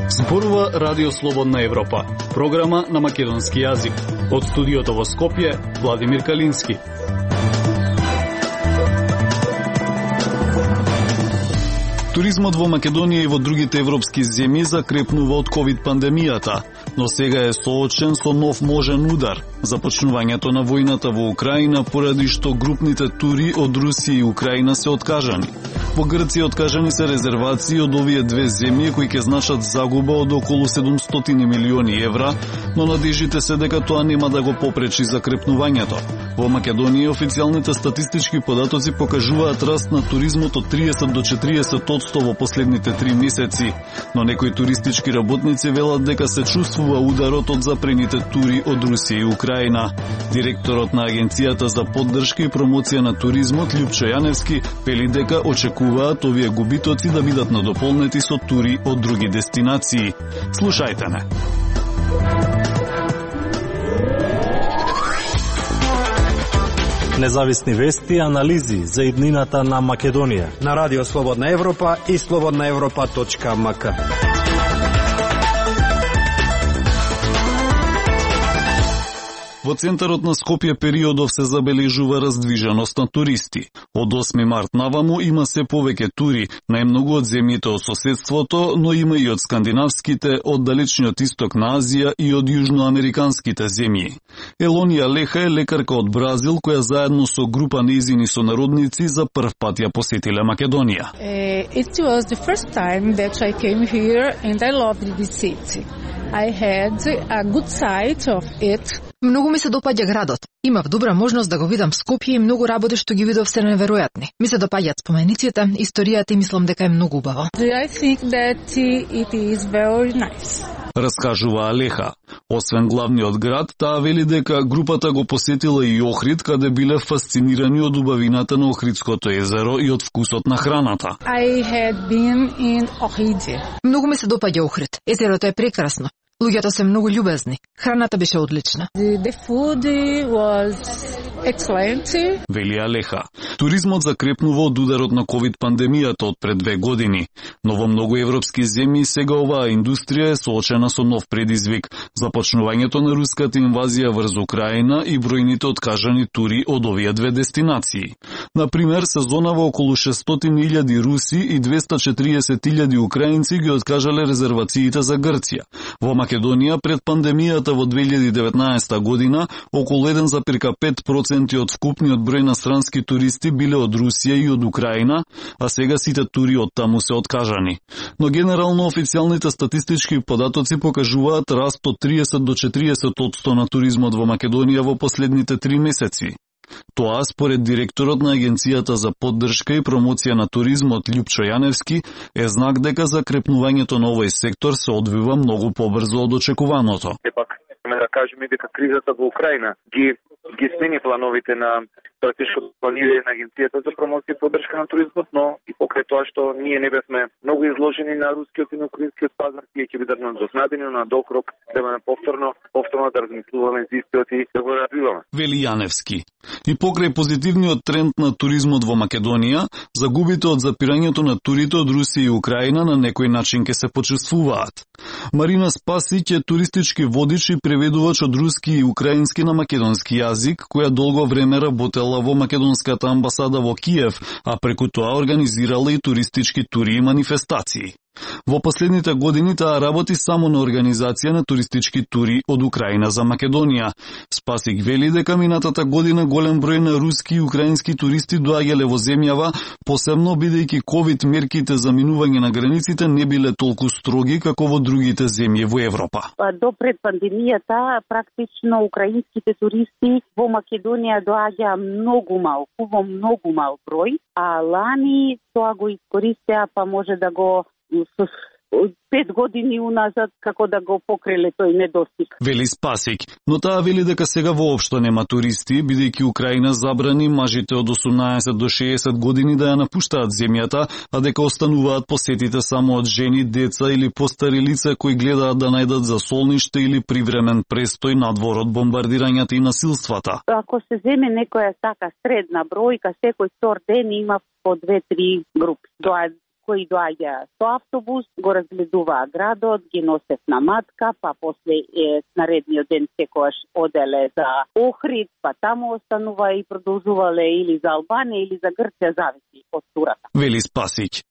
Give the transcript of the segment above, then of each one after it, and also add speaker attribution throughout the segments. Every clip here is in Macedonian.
Speaker 1: Зборува Радио Слободна Европа, програма на македонски јазик. Од студиото во Скопје, Владимир Калински. Туризмот во Македонија и во другите европски земји закрепнува од ковид пандемијата, но сега е соочен со нов можен удар. Започнувањето на војната во Украина поради што групните тури од Русија и Украина се откажани. Во Грција откажани се резервации од овие две земји кои ќе значат загуба од околу 700 милиони евра, но надежите се дека тоа нема да го попречи закрепнувањето. Во Македонија официјалните статистички податоци покажуваат раст на туризмот од 30 до 40% во последните 3 месеци, но некои туристички работници велат дека се чувствува ударот од запрените тури од Русија и Украина. Директорот на Агенцијата за поддршка и промоција на туризмот Љупчо Јаневски вели дека очекуваат овие губитоци да бидат надополнети со тури од други дестинации. Слушајте не.
Speaker 2: Независни вести и анализи за иднината на Македонија
Speaker 3: на Радио Слободна Европа и slobodnaevropa.mk.
Speaker 1: Во центарот на Скопје периодов се забележува раздвиженост на туристи. Од 8 март наваму има се повеќе тури, најмногу од земјите од соседството, но има и од скандинавските, од далечниот исток на Азија и од јужноамериканските земји. Елонија Леха е лекарка од Бразил, која заедно со група нејзини сонародници за прв пат ја посетиле Македонија.
Speaker 4: It was the first time that I came here and I loved this city. I had a good sight of it.
Speaker 5: Многу ми се допаѓа градот. Имав добра можност да го видам Скопје и многу работи што ги видов се неверојатни. Ми се допаѓаат спомениците, историјата и мислам дека е многу убаво.
Speaker 4: I think that it is very nice.
Speaker 1: Раскажува Алеха. Освен главниот град, таа вели дека групата го посетила и Охрид, каде биле фасцинирани од убавината на Охридското езеро и од вкусот на храната.
Speaker 4: I had been in Ohrid.
Speaker 5: Многу ми се допаѓа Охрид. Езерото е прекрасно. Луѓето се многу љубезни. Храната беше одлична.
Speaker 4: The food was excellent.
Speaker 1: Вели Алеха. Туризмот закрепнува од ударот на ковид пандемијата од пред 2 години, но во многу европски земји сега оваа индустрија е соочена со нов предизвик, започнувањето на руската инвазија врз Украина и бројните откажани тури од овие две дестинации. Например, сезонава околу 600.000 руси и 240.000 украинци ги откажале резервациите за Грција. Во Македонија пред пандемијата во 2019 година околу 1,5% од вкупниот број на странски туристи биле од Русија и од Украина, а сега сите тури од таму се откажани. Но генерално официјалните статистички податоци покажуваат раст од 30 до 40% на туризмот во Македонија во последните 3 месеци. Тоа, според директорот на Агенцијата за поддршка и промоција на туризмот Љупчо Јаневски, е знак дека закрепнувањето на овој сектор се одвива многу побрзо од очекуваното.
Speaker 6: Сепак, да кажеме дека кризата во Украина ги смени плановите на стратешко планирање на Агенцијата за промоција и поддршка на туризмот, но и покрај тоа што ние не бевме многу изложени на рускиот и на украинскиот пазар, тие ќе бидат надокнадени на докрок, треба повторно да размислуваме за истиот и да го развиваме.
Speaker 1: Вели Јаневски. И покрај позитивниот тренд на туризмот во Македонија, загубите од запирањето на турите од Русија и Украина на некој начин ќе се почувствуваат. Марина Спасиќ е туристички водич и преведувач од руски и украински на македонски јазик, која долго време работела во македонската амбасада во Киев, а преку тоа организирала и туристички тури и манифестации. Во последните години таа работи само на организација на туристички тури од Украина за Македонија. Спасик вели дека минатата година голем број на руски и украински туристи доаѓале во земјава, посебно бидејќи ковид мерките за минување на границите не биле толку строги како во другите земји во Европа.
Speaker 7: До пред пандемијата практично украинските туристи во Македонија доаѓа многу мал број, а лани тоа го искористеа, па може да го 5 години уназад како да го покриле тој недостиг.
Speaker 1: Вели Спасик, но таа вели дека сега воопшто нема туристи, бидејќи Украина забрани мажите од 18 до 60 години да ја напуштаат земјата, а дека остануваат посетите само од жени, деца или постари лица кои гледаат да најдат засолниште или привремен престој надвор од бомбардирањата и насилствата.
Speaker 7: Ако се земе некоја така средна бројка, секој втор ден има по 2-3 групи. Кои доаѓа со автобус, го разгледуваа градот, ги носев на матка, па после наредниот ден секојаш оделе за Охрид, па таму останува и продолжувале или за Албанија или за Грција, зависи од турата.
Speaker 1: Вели Спасич.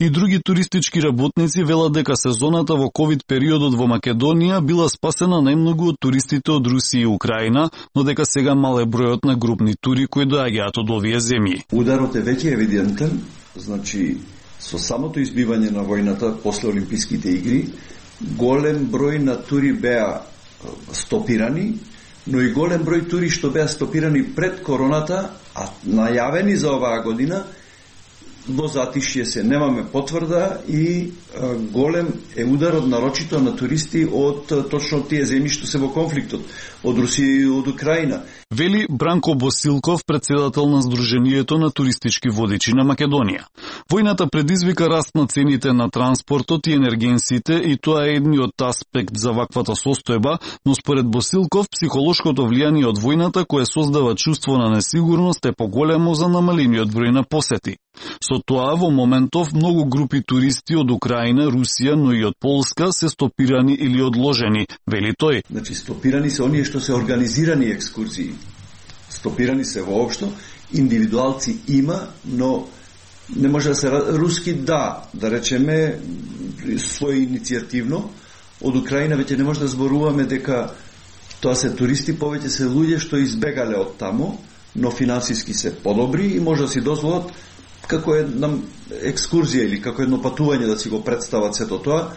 Speaker 1: И други туристички работници велат дека сезоната во ковид периодот во Македонија била спасена најмногу од туристите од Русија и Украина, но дека сега мал е бројот на групни тури кои доаѓаат од овие земји.
Speaker 8: Ударот е веќе евидентен, значи со самото избивање на војната после Олимписките игри, голем број на тури беа стопирани, но и голем број тури што беа стопирани пред короната, а најавени за оваа година, во затишје се, немаме потврда и голем е ударот нарочито на туристи од точно тие земји што се во конфликтот, од Русија и од Украина.
Speaker 1: Вели Бранко Босилков, председател на Сдруженијето на туристички водичи на Македонија. Војната предизвика раст на цените на транспортот и енергенсите и тоа е едниот аспект за ваквата состојба, но според Босилков психолошкото влијание од војната кое создава чувство на несигурност е поголемо за намалениот број на посети. Со тоа во моментов многу групи туристи од Украина, Русија, но и од Полска се стопирани или одложени, вели тој.
Speaker 8: Значи стопирани се оние што се организирани екскурзии. Стопирани се воопшто, индивидуалци има, но не може да се руски да речеме свој иницијативно. Од Украина веќе не може да зборуваме дека тоа се туристи, повеќе се луѓе што избегале од таму, но финансиски се подобри и може да си дозволат како една екскурзија или како едно патување да си го представат сето тоа.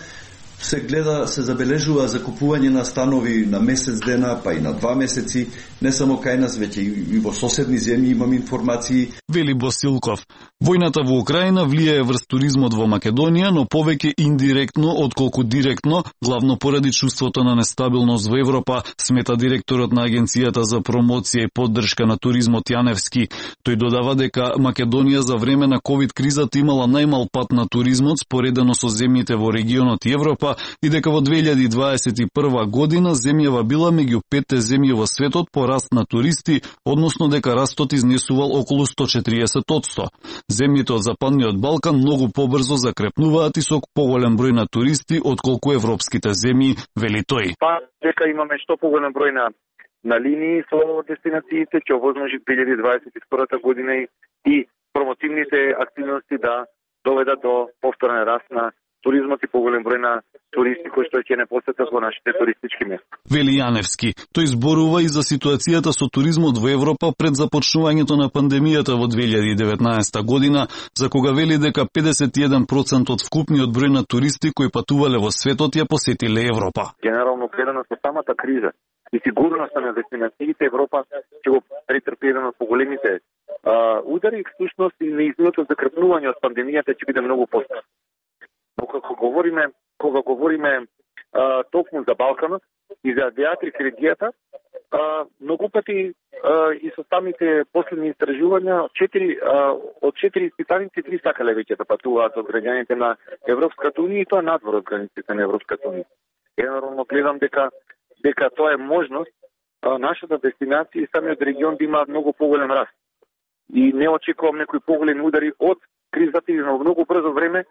Speaker 8: Се гледа, се забележува закупување на станови на месец дена, па и на 2 месеци, не само кај нас, веќе и во соседни земји имам информации.
Speaker 1: Вели Босилков, војната во Украина влијае врз туризмот во Македонија, но повеќе индиректно отколку директно, главно поради чувството на нестабилност во Европа, смета директорот на Агенцијата за промоција и поддршка на туризмот Јаневски. Тој додава дека Македонија за време на ковид кризата имала најмал пат на туризмот споредено со земјите во регионот и Европа, и дека во 2021 година земјава била меѓу 5 земји во светот по раст на туристи, односно дека растот изнесувал околу 140%. Земјите од Западниот Балкан многу побрзо закрепнуваат и со поголем број на туристи отколку европските земји, вели тој.
Speaker 6: Па дека имаме што поголем број на линии со дестинациите, ќе овозможи 2022 година и промотивните активности да доведат до повторен раст на туризмот и поголем број на туристи кои што ќе не посетат во нашите туристички места.
Speaker 1: Вели Јаневски, тој зборува и за ситуацијата со туризмот во Европа пред започнувањето на пандемијата во 2019 година, за кога вели дека 51% од вкупниот број на туристи кои патувале во светот ја посетиле Европа.
Speaker 6: Генерално гледано со самата криза и сигурноста на дестинациите, Европа ќе го претрпи еден од поголемите удари, всушност и неизминото закрепнување од пандемијата ќе биде многу постар. Но кога говориме токму за Балканот и за диатрик-регијата, многу пати и со самите последни истражувања од 4 испитаници 3 сакале веќе да патуваат од граѓаните на Европската унија и тоа надвор од границите на Европската унија. Генерално гледам дека тоа е можност нашата дестинација и самиот регион да има многу поголем раст. И не очекувам некои поголеми удари од кризата и на многу брзо време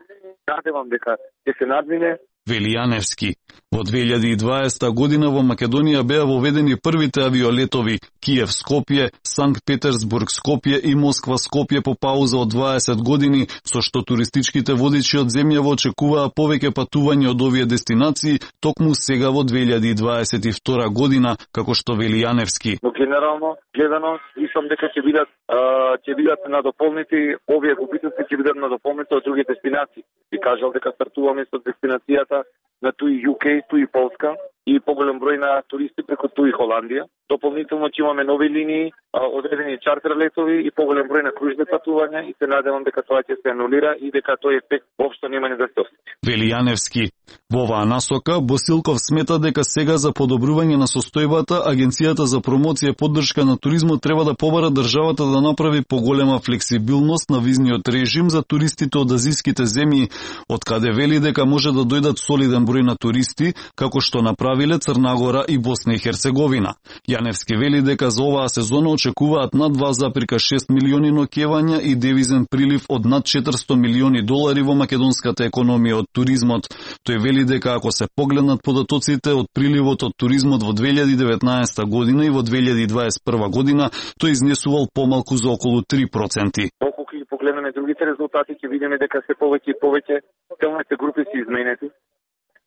Speaker 6: надевам дека ќе се надмине.
Speaker 1: Вели Јаневски, во 2020 година во Македонија беа воведени првите авиолетови Киев-Скопје, Санкт-Петерсбург-Скопје и Москва-Скопје по пауза од 20 години, со што туристичките водичи од земјава очекуваа повеќе патување од овие дестинации токму сега во 2022 година, како што вели Јаневски.
Speaker 6: Но генерално гледано, мислам дека ќе бидат надополнети овие губитоци, ќе бидат надополнети од други дестинации. И кажал дека стартуваме со дестинацијата на туи UK, туи Полска и поголем број на туристи преку туи Холандија. Дополнително ќе имаме нови линии одредени чартер летови и поголем број на кружни патувања и се надевам дека тоа ќе се анулира и дека тој ефект воопшто нема ни да се осети.
Speaker 1: Вели Јаневски. Во оваа насока, Босилков смета дека сега за подобрување на состојбата, Агенцијата за промоција и поддршка на туризмот треба да побара државата да направи поголема флексибилност на визниот режим за туристите од азиските земји, од каде вели дека може да дојдат солиден број на туристи, како што направиле Црна Гора и Босна и Херцеговина. Јаневски вели дека за оваа сезона очекуваат над 2,6 милиони ноќевања и девизен прилив од над 400 милиони долари во македонската економија од туризмот. Тој вели дека ако се погледнат податоците од приливот од туризмот во 2019 година и во 2021 година, тој изнесувал помалку за околу 3%.
Speaker 6: Колку ќе погледнеме другите резултати, ќе видиме дека се повеќе и повеќе целните групи се изменети.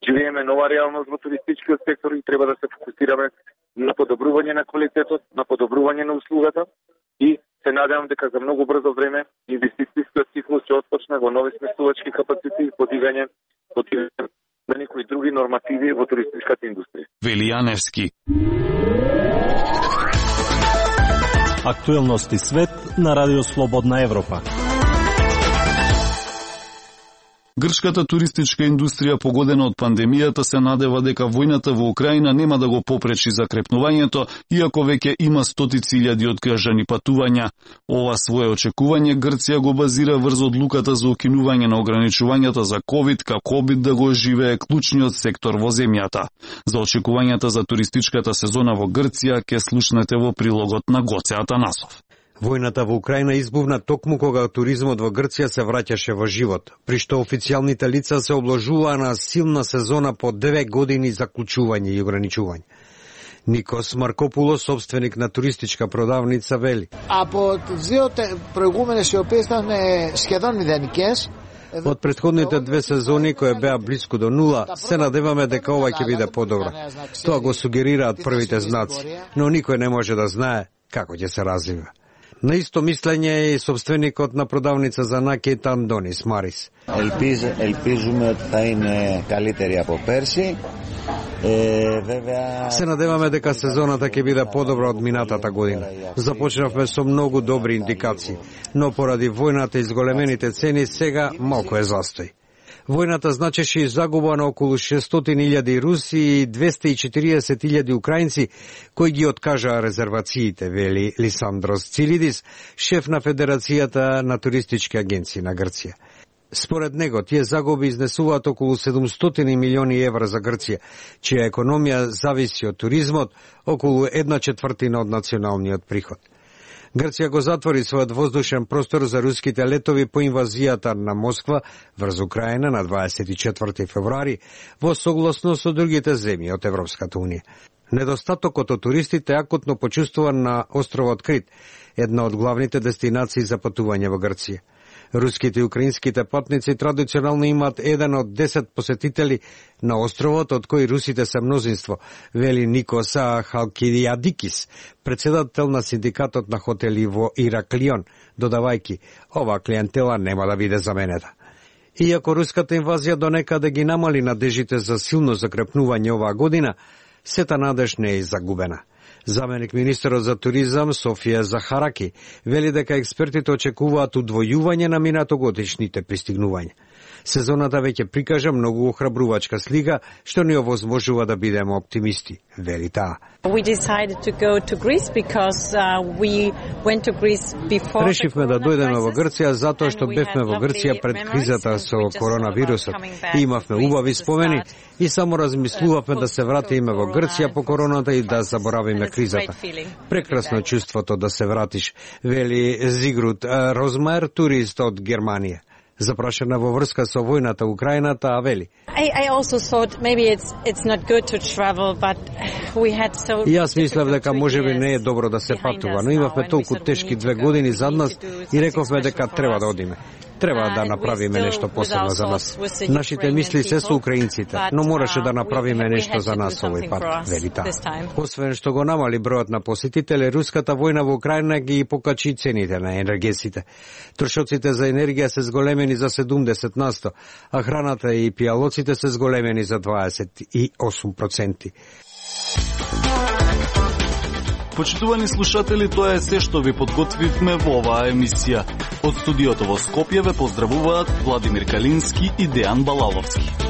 Speaker 6: Живееме нова реалност во туристичкиот сектор и треба да се фокусираме на подобрување на квалитетот, на подобрување на услугата и се надевам дека за многу брзо време инвестицијскиот циклус ќе отпочне во нови сместувачки капацитети и подигање на некои други нормативи во туристичката индустрија.
Speaker 1: Вели Јаневски.
Speaker 2: Актуелности свет на Радио Слободна Европа.
Speaker 1: Грчката туристичка индустрија погодена од пандемијата се надева дека војната во Украина нема да го попречи закрепнувањето, иако веќе има стотици илјади откажани патувања. Ова свое очекување Грција го базира врз одлуката за укинување на ограничувањата за ковид, како обид да го оживее клучниот сектор во земјата. За очекувањата за туристичката сезона во Грција ќе слушнете во прилогот на Гоце Атанасов.
Speaker 3: Војната во Украина избувна токму кога туризмот во Грција се враќаше во живот, при што официјалните лица се обложуваа на силна сезона по 9 години заклучување и ограничување. Никос Маркопулос, собственик на туристичка продавница, вели:
Speaker 9: Από τις δύο προηγούμενες οι οποίες ήταν σχεδόν μηδενικές.
Speaker 3: Од претходните две сезони кои беа близко до нула, се надеваме дека ова ќе биде подобро. Тоа го сугерираат првите знаци, но никој не може да знае како ќе се развива. На исто мислење е и собственикот на продавница за накид Андонис Марис.
Speaker 10: Ελπίζουμε ότι θα είναι καλύτερη από πέρσι.
Speaker 3: Се надеваме дека сезоната ќе биде подобра од минатата година. Започнавме со многу добри индикации, но поради војната и зголемените цени сега малку е застој. Војната значеше и загуба на околу 600.000 руси и 240.000 украинци кои ги откажаа резервациите, вели Лисандрос Цилидис, шеф на Федерацијата на туристички агенции на Грција. Според него, тие загуби изнесуваат околу 700 милиони евра за Грција, чија економија зависи од туризмот, околу 1/4 од националниот приход. Грција го затвори својот воздушен простор за руските летови по инвазијата на Москва врз Украина на 24 февруари во согласно со другите земји од Европската унија. Недостатокот од туристите акутно почувствуван на островот Крит, една од главните дестинации за патување во Грција. Руските и украинските патници традиционално имаат еден од 10 посетители на островот, од кои русите се мнозинство, вели Никоса Халкидиадикис, председател на синдикатот на хотели во Ираклион, додавајки, ова клиентела нема да биде заменета. Иако руската инвазија донекаде ги намали надежите за силно закрепнување оваа година, сета надеж не е загубена. Заменик министерот за туризам Софија Захараки вели дека експертите очекуваат удвојување на минатогодишните пристигнувања. Сезоната веќе прикажа многу охрабрувачка слика, што ни овозможува да бидеме оптимисти, вели таа. Решивме да дојдеме во Грција затоа што бевме во Грција пред кризата со коронавирусот и имавме убави спомени и само размислувавме да се вратиме во Грција по короната и да заборавиме кризата. Прекрасно чувството да се вратиш, вели Зигруд Розмаер, турист од Германија. Запрашена во врска со војната Украината, а вели: И јас мислев дека можеби не е добро да се патува, но имавме толку тешки 2 години зад нас и рековме дека треба да одиме. Треба да направиме нешто посебно за нас. Нашите мисли се со украинците, но мораше да направиме нешто за нас овој пат, вели таа. Освен што го намали бројот на посетители, руската војна во Украина ги покачи цените на енергетиците. Трошоците за енергија се зголемени за 70%, а храната и пијалоците се зголемени за 28%.
Speaker 1: Почитувани слушатели, тоа е се што ви подготвивме во оваа емисија. Од студиото во Скопје ве поздравуваат Владимир Калински и Дејан Балаловски.